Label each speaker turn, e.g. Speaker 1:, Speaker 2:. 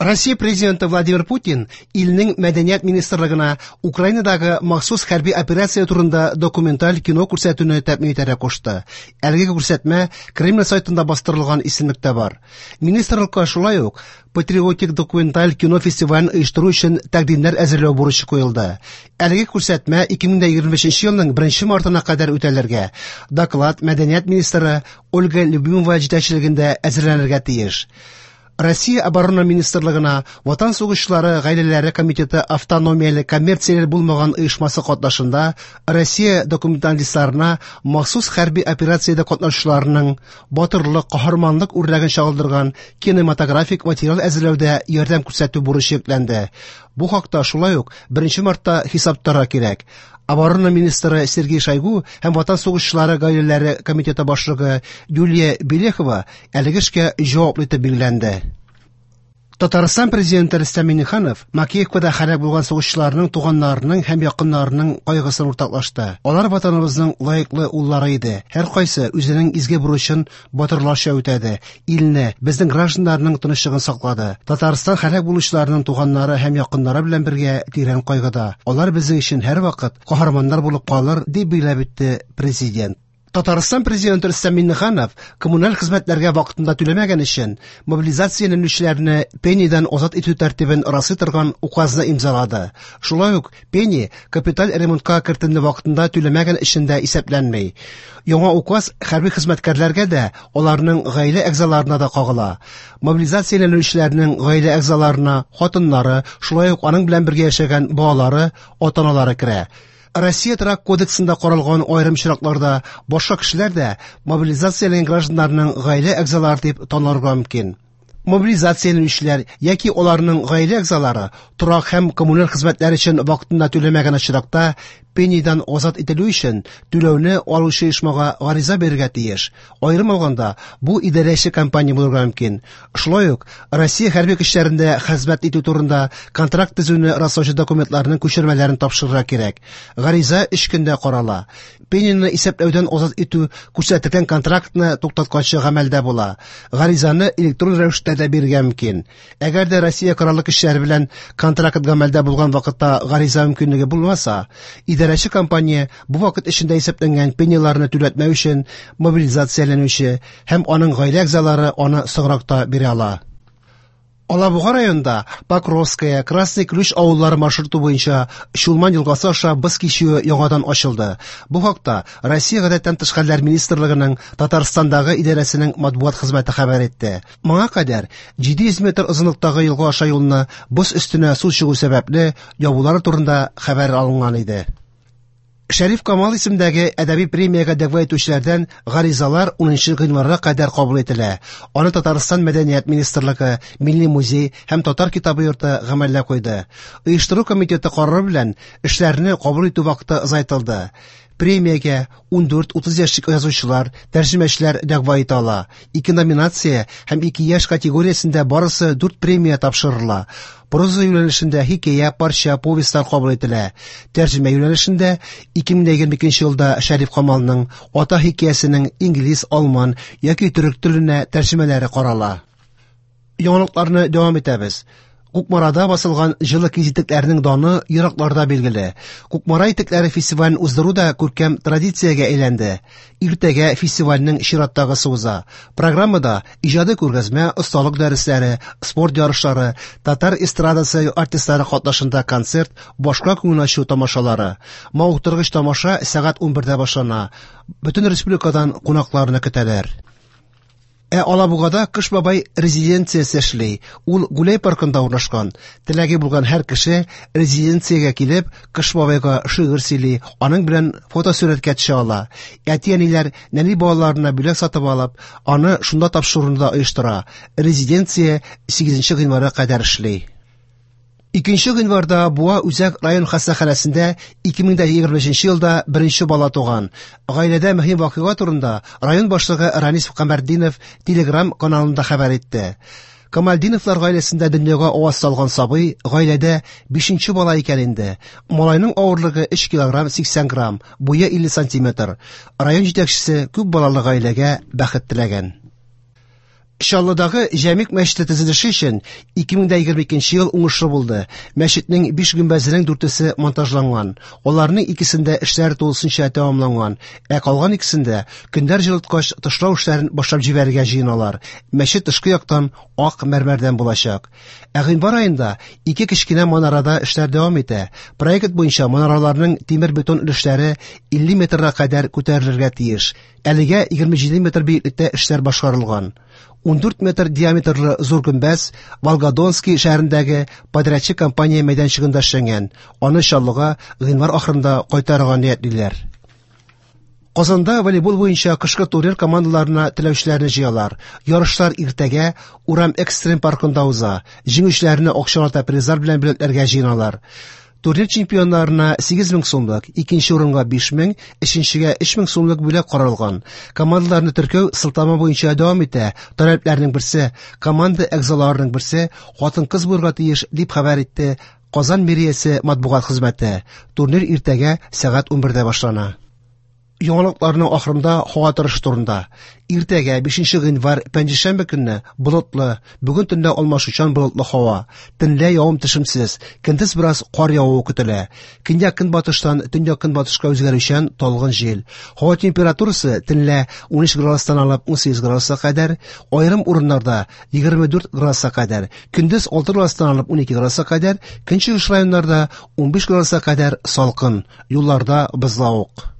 Speaker 1: Россия президенты Владимир Путин илнең мәдәният министрлыгына Украинадагы махсус хәрби операция турында документаль кино күрсәтүне тәэмин итәргә кушты. Әлеге күрсәтмә Кремль сайтында бастырылган исемлектә бар. Министрлыкка шулай ук патриотик документаль кино фестивален оештыру өчен тәкъдимнәр әзерләү бурычы куелды. Әлеге күрсәтмә 2025 елның 1 мартына кадәр үтәлергә, доклад мәдәният министры Ольга Любимова җитәкчелегендә әзерләнергә тиеш. Россия Оборона министрлыгына Ватан сугышчылары гаиләләре комитеты автономияле коммерцияле булмаган оешмасы катнашында Россия документалистларына махсус хәрби операциядә катнашучыларның батырлык, каһарманлык үрнәген чагылдырган кинематографик материал әзерләүдә ярдәм күрсәтү бурычы йөкләнде. Бу хакта шулай ук 1 мартта хисап тотарга кирәк. Оборона министры Сергей Шойгу һәм Ватан сугышчылары гаиләләре комитеты башлыгы Юлия Белехова әлеге эшкә җаваплы итеп билгеләнде. Татарстан президенты Рөстәм Миңнеханов Макеевкада һәлак булган сугышчыларның туганнарының һәм якыннарының кайгысын уртаклашты. Алар ватаныбызның лаеклы уллары иде. Һәркайсы үзенең изге бурычын батырларча үтәде. Илне, безнең гражданнарның тынычлыгын саклады. Татарстан һәлак булучыларның туганнары һәм якыннары белән бергә тирән кайгыда. Алар безнең өчен һәрвакыт каһарманнар булып калыр, дип билгеләп үтте президент. Татарстан президенты Рөстәм Миңнеханов коммуналь хезмәтләргә вакытында түләмәгән өчен мобилизацияләнүчеләрне пенидан азат итү тәртибен раслый торган указны имзалады. Шулай ук пени капиталь ремонтка кертемне вакытында түләмәгән өчен дә исәпләнми. Яңа указ хәрби хезмәткәрләргә дә, аларның гаилә әгъзаларына да кагыла. Мобилизацияләнүчеләрнең гаилә әгъзаларына хатыннары, шулай ук аның белән бергә яшәгән балалары, ата-аналары керә. Россия торак кодексында каралган аерым очракларда башка кешеләр дә мобилизацияләнгән гражданнарның гаилә әгъзалары дип танылырга мөмкин. Мобилизацияләнүчеләр яки аларның гаилә әгъзалары торак һәм коммуналь хезмәтләр өчен вакытында түләмәгән очракта пенидан азат ителү өчен түләүне алучы оешмага гариза бирергә тиеш. Аерым алганда, бу идарәче компания булырга мөмкин. Шулай ук Россия хәрби көчләрендә хезмәт итү турында контракт төзүне раслаучы документларның күчермәләрен тапшырырга кирәк. Гариза 3 көндә карала. Пенияне исәпләүдән азат итү күрсәтелгән контрактны туктатканчы гамәлдә була. Гаризаны электрон рәвештә дә бирергә мөмкин. Әгәр дә Россия Кораллы көчләре белән контракт гамәлдә булган вакытта гариза мөмкинлеге булмаса, идарәче компания бу вакыт эчендә исәпләнгән пенияләрне түләтмәү өчен мобилизацияләнүче һәм аның гаилә әгъзалары аны соңрак та бирә ала. Алабуга районында Покровская, Красный Ключ авыллары маршруты буенча Чулман елгасы аша боз кичүе яңадан ачылды. Бу хакта Россия Гадәттән тыш хәлләр министрлыгының Татарстандагы идарәсенең матбугат хезмәте хәбәр итте. Моңа кадәр 700 метр озынлыктагы елга аша юлны боз өстенә су чыгу сәбәпле ябулары турында хәбәр алынган иде. Шәриф Камал исемдәге әдәби премиягә дәгъва итүчеләрдән гаризалар 10 гыйнварга кадәр кабул ителә. Аны Татарстан Мәдәният министрлыгы, Милли музей һәм Татар китабы йорты гамәлгә куйды. Оештыру комитеты карары белән эшләрне кабул итү вакыты озайтылды. Премиягә 14-30 яшьлек язучылар, тәрҗемәчеләр дәгъва итә ала. Ике номинация һәм ике яшь категориясендә барысы 4 премия тапшырыла. Проза юнәлешендә хикәя, парча, повестьлар кабул ителә. Тәрҗемә юнәлешендә 2022 елда Шәриф Камалның Ата хикәясенең инглиз, алман яки төрек теленә тәрҗемәләре карала. Яңалыкларны дәвам итәбез. Кукмарада басылган җылы киез итекләрнең даны еракларда билгеле. Кукмара итекләре фестивален уздыру да күркәм традициягә әйләнде. Иртәгә фестивальнең чираттагысы уза. Программада иҗади күргәзмә, осталык дәресләре, спорт ярышлары, татар эстрадасы артистлары катнашында концерт, башка күңел ачу тамашалары. Мавыктыргыч тамаша сәгать 11дә башлана. Бөтен республикадан кунакларны көтәләр. Ә Алабугада Кыш бабай резиденциясе эшли. Ул Гүләй паркында урнашкан. Теләге булган һәр кеше резиденциягә килеп, Кыш бабайга шигырь сөйли, аның белән фотосурәткә төшә ала. Әти-әниләр нәни балаларына бүләк сатып алып, аны шунда тапшыруны да оештыра. Резиденция 8 гыйнварга кадәр эшли. 2 гыйнварда Буа үзәк район хастаханәсендә 2025 елда беренче бала туган. Гаиләдә мөһим вакыйга турында район башлыгы Ранис Камәрдинов Телеграм каналында хәбәр итте. Камалдиновлар гаиләсендә дөньяга аваз салган сабый гаиләдә 5 бала икән инде. Малайның авырлыгы 3 килограмм 80 грамм, буе 50 сантиметр. Район җитәкчесе күп балалы гаиләгә бәхет теләгән. Чаллыдагы Җәмигъ мәчете төзелеше өчен 2022 ел уңышлы булды. Мәчетнең биш гөмбәзенең дүртесе монтажланган. Аларның икесендә эшләр тулысынча тәмамланган, ә калган икесендә көннәр җылыткач тышлау эшләрен башлап җибәрергә җыеналар. Мәчет тышкы яктан ак мәрмәрдән булачак. Ә гыйнвар аенда ике кечкенә манарада эшләр дәвам итә. Проект буенча манараларның тимер-бетон өлешләре 50 метрга кадәр күтәрелергә тиеш. Әлегә 27 метр биеклектә эшләр башкарылган. 14 метр диаметрлы зур гөмбәз Волгодонский шәһәрендәге подрядчы компания мәйданчыгында эшләнгән. Аны Чаллыга гыйнвар ахырында кайтарырга ниятлиләр. Казанда волейбол буенча кышкы турнир командаларына теләүчеләрне җыялар. Ярышлар иртәгә Урам экстрим паркында уза. Җиңүчеләрне акчалата призлар белән бүләкләргә җыеналар. Турнир чемпионнарына 8000 сумлык, икенче урынга 5000, өченчегә 3000 сумлык бүләк каралган. Командаларны теркәү сылтама буенча дәвам итә. Таләпләрнең берсе команда әгъзаларының берсе хатын-кыз булырга тиеш, дип хәбәр итте Казан мэриясе матбугат хезмәте. Турнир иртәгә сәгать 11дә башлана. Яңалыкларның ахырында һава торышы турында. Иртәгә 5 гыйнвар пәнҗешәмбе көнне болытлы, бүген төнлә алмашучан болытлы һава. Төнлә явым-төшемсез, көндез бераз кар явуы көтелә. Көньяк-көнбатыштан төньяк-көнбатышка үзгәрүчән талгын җил. Һава температурасы төнлә 13 градустан алып 18 градуска кадәр, аерым урыннарда 24 градуска кадәр, көндез 6 градустан алып 12 градуска кадәр, көнчыгыш районнарда 15 градуска кадәр салкын, юлларда бозлавык.